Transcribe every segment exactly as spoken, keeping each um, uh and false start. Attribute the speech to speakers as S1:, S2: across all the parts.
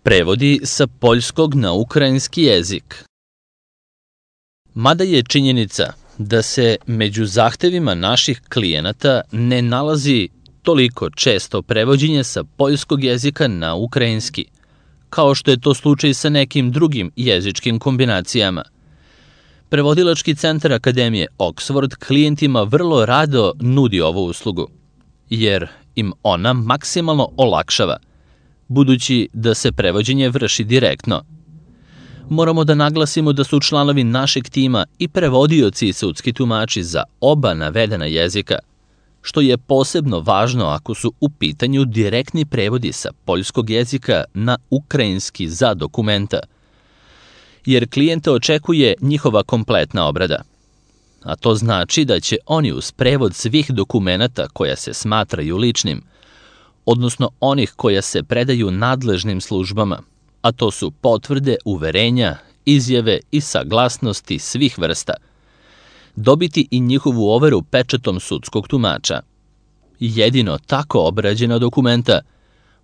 S1: Prevodi sa poljskog na ukrajinski jezik. Mada je činjenica da se među zahtevima naših klijenata ne nalazi toliko često prevođenje sa poljskog jezika na ukrajinski, kao što je to slučaj sa nekim drugim jezičkim kombinacijama. Prevodilački centar Akademije Oxford klijentima vrlo rado nudi ovu uslugu, jer im ona maksimalno olakšava, budući da se prevođenje vrši direktno. Moramo da naglasimo da su članovi našeg tima i prevodioci i sudski tumači za oba navedena jezika, što je posebno važno ako su u pitanju direktni prevodi sa poljskog jezika na ukrajinski za dokumenta, jer klijenta očekuje njihova kompletna obrada. A to znači da će oni uz prevod svih dokumenata koja se smatraju ličnim, odnosno onih koja se predaju nadležnim službama, a to su potvrde, uverenja, izjave i saglasnosti svih vrsta, dobiti i njihovu overu pečatom sudskog tumača. Jedino tako obrađena dokumenta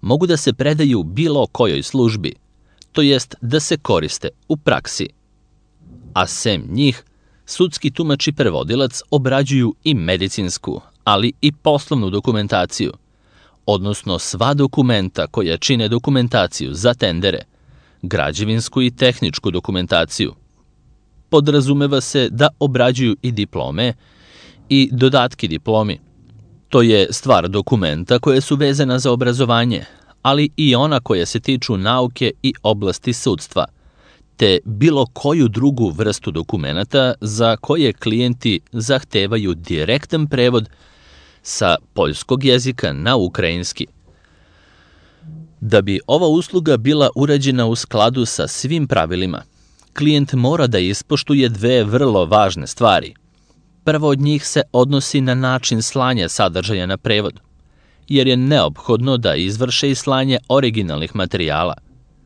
S1: mogu da se predaju bilo kojoj službi, to jest da se koriste u praksi. A sem njih, sudski tumač i prevodilac obrađuju i medicinsku, ali i poslovnu dokumentaciju, odnosno sva dokumenta koja čine dokumentaciju za tendere, građevinsku i tehničku dokumentaciju. Podrazumeva se da obrađuju i diplome i dodatki diplomi. To je stvar dokumenta koje su vezana za obrazovanje, ali i ona koja se tiču nauke i oblasti sudstva, te bilo koju drugu vrstu dokumenata za koje klijenti zahtevaju direktan prevod sa poljskog jezika na ukrajinski. Da bi ova usluga bila urađena u skladu sa svim pravilima, klijent mora da ispoštuje dve vrlo važne stvari. Prvo od njih se odnosi na način slanja sadržaja na prevod, jer je neophodno da izvrše i slanje originalnih materijala,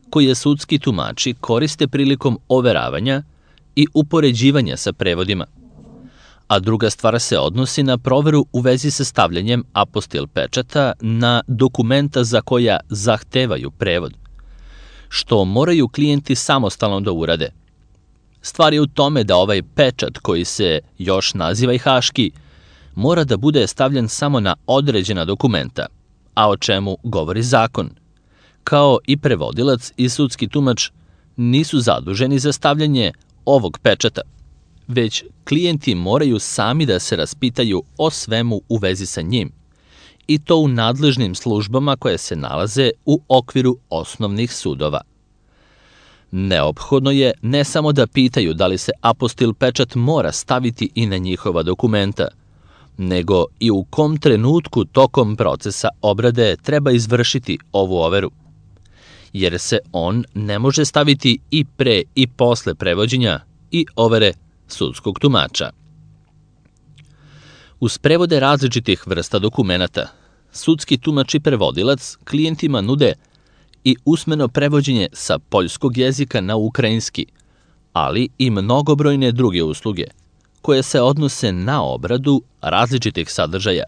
S1: koje sudski tumači koriste prilikom overavanja i upoređivanja sa prevodima. A druga stvar se odnosi na proveru u vezi sa stavljanjem apostil pečata na dokumenta za koja zahtevaju prevod, što moraju klijenti samostalno da urade. Stvar je u tome da ovaj pečat, koji se još naziva i haški, mora da bude stavljen samo na određena dokumenta, a o čemu govori zakon. Kao i prevodilac i sudski tumač nisu zaduženi za stavljanje ovog pečata, već klijenti moraju sami da se raspitaju o svemu u vezi sa njim, i to u nadležnim službama koje se nalaze u okviru osnovnih sudova. Neophodno je ne samo da pitaju da li se apostil pečat mora staviti i na njihova dokumenta, nego i u kom trenutku tokom procesa obrade treba izvršiti ovu overu, jer se on ne može staviti i pre i posle prevođenja i overe sudskog tumača. Uz prevode različitih vrsta dokumenata, sudski tumač i prevodilac klijentima nude i usmeno prevođenje sa poljskog jezika na ukrajinski, ali i mnogobrojne druge usluge, koje se odnose na obradu različitih sadržaja,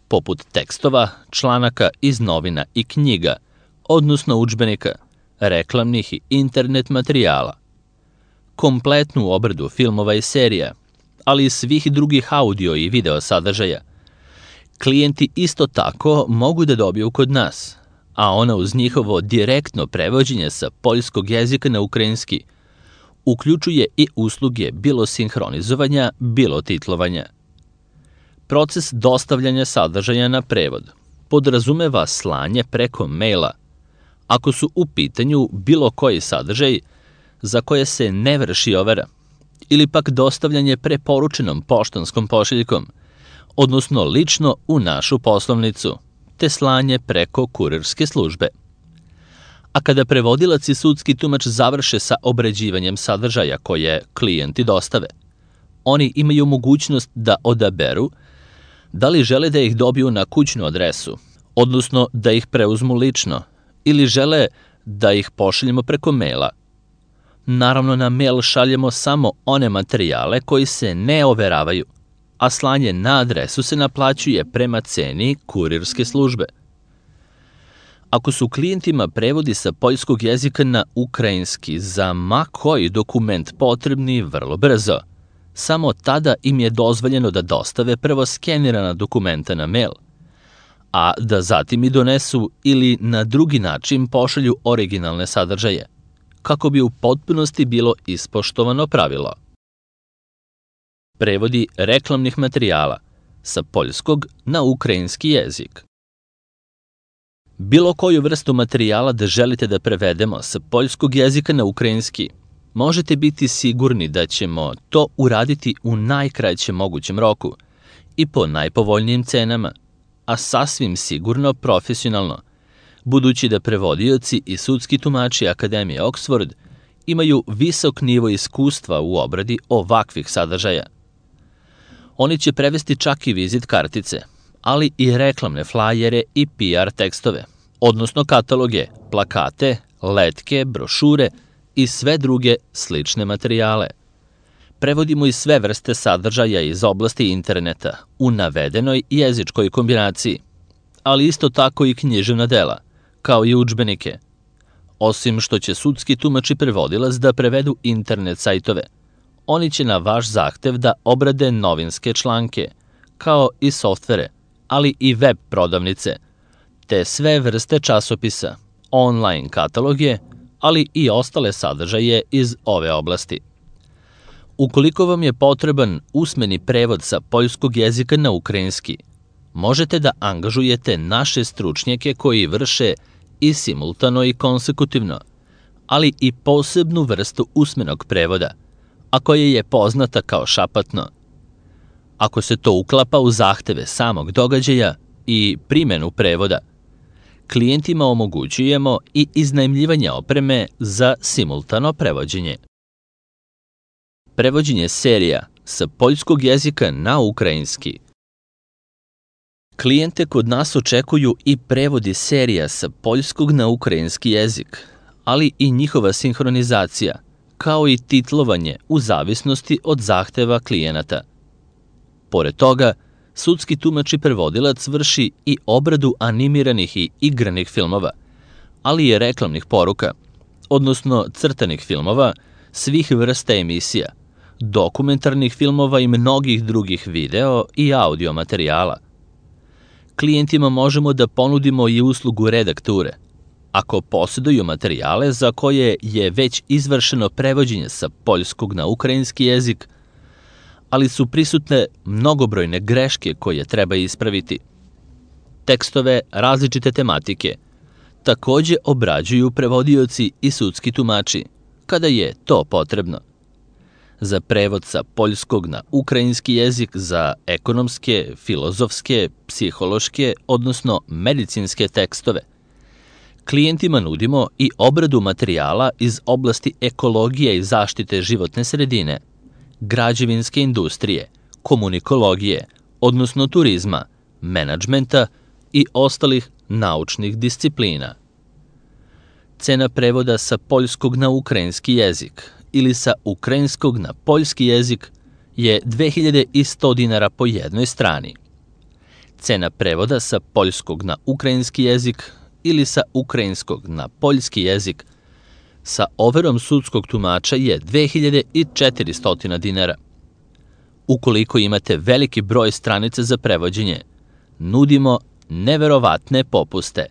S1: poput tekstova, članaka iz novina i knjiga, odnosno udžbenika, reklamnih i internet materijala, kompletnu obradu filmova i serija, ali i svih drugih audio i video sadržaja. Klijenti isto tako mogu da dobiju kod nas, a ona uz njihovo direktno prevođenje sa poljskog jezika na ukrajinski uključuje i usluge bilo sinhronizovanja, bilo titlovanja. Proces dostavljanja sadržaja na prevod podrazumeva slanje preko maila, ako su u pitanju bilo koji sadržaj za koje se ne vrši overa, ili pak dostavljanje preporučenom poštanskom pošiljkom, odnosno lično u našu poslovnicu, te slanje preko kurirske službe. A kada prevodilac i sudski tumač završe sa obrađivanjem sadržaja koje klijenti dostave, oni imaju mogućnost da odaberu da li žele da ih dobiju na kućnu adresu, odnosno da ih preuzmu lično, ili žele da ih pošaljemo preko maila. Naravno, na mail šaljemo samo one materijale koji se ne overavaju, a slanje na adresu se naplaćuje prema ceni kurirske službe. Ako su klijentima prevodi sa poljskog jezika na ukrajinski za ma koji dokument potrebni vrlo brzo, samo tada im je dozvoljeno da dostave prvo skenirana dokumenta na mail, a da zatim i donesu ili na drugi način pošalju originalne sadržaje, kako bi u potpunosti bilo ispoštovano pravilo. Prevodi reklamnih materijala sa poljskog na ukrajinski jezik. Bilo koju vrstu materijala da želite da prevedemo sa poljskog jezika na ukrajinski, možete biti sigurni da ćemo to uraditi u najkraćem mogućem roku i po najpovoljnijim cenama, a sasvim sigurno profesionalno, budući da prevodioci i sudski tumači Akademije Oxford imaju visok nivo iskustva u obradi ovakvih sadržaja. Oni će prevesti čak i vizit kartice, ali i reklamne flajere i P R tekstove, odnosno kataloge, plakate, letke, brošure i sve druge slične materijale. Prevodimo i sve vrste sadržaja iz oblasti interneta u navedenoj jezičkoj kombinaciji, ali isto tako i književna dela, kao i udžbenike. Osim što će sudski tumač i prevodilac da prevedu internet sajtove, oni će na vaš zahtev da obrade novinske članke, kao i softvere, ali i web prodavnice, te sve vrste časopisa, online kataloge, ali i ostale sadržaje iz ove oblasti. Ukoliko vam je potreban usmeni prevod sa poljskog jezika na ukrajinski, možete da angažujete naše stručnjake koji vrše i simultano i konsekutivno, ali i posebnu vrstu usmenog prevoda, a koja je poznata kao šapatno. Ako se to uklapa u zahteve samog događaja i primenu prevoda, klijentima omogućujemo i iznajmljivanje opreme za simultano prevođenje. Prevođenje serija sa poljskog jezika na ukrajinski. Klijente kod nas očekuju i prevodi serija sa poljskog na ukrajinski jezik, ali i njihova sinhronizacija, kao i titlovanje u zavisnosti od zahteva klijenata. Pored toga, sudski tumač i prevodilac vrši i obradu animiranih i igranih filmova, ali i reklamnih poruka, odnosno crtanih filmova, svih vrsta emisija, dokumentarnih filmova i mnogih drugih video i audio materijala. Klijentima možemo da ponudimo i uslugu redakture, ako posjeduju materijale za koje je već izvršeno prevođenje sa poljskog na ukrajinski jezik, ali su prisutne mnogobrojne greške koje treba ispraviti. Tekstove različite tematike takođe obrađuju prevodioci i sudski tumači, kada je to potrebno. Za prevod sa poljskog na ukrajinski jezik za ekonomske, filozofske, psihološke, odnosno medicinske tekstove, klijentima nudimo i obradu materijala iz oblasti ekologije i zaštite životne sredine, građevinske industrije, komunikologije, odnosno turizma, menadžmenta i ostalih naučnih disciplina. Cena prevoda sa poljskog na ukrajinski jezik ili sa ukrajinskog na poljski jezik je dve hiljade sto dinara po jednoj strani. Cena prevoda sa poljskog na ukrajinski jezik ili sa ukrajinskog na poljski jezik sa overom sudskog tumača je dve hiljade četiristo dinara. Ukoliko imate veliki broj stranica za prevođenje, nudimo neverovatne popuste.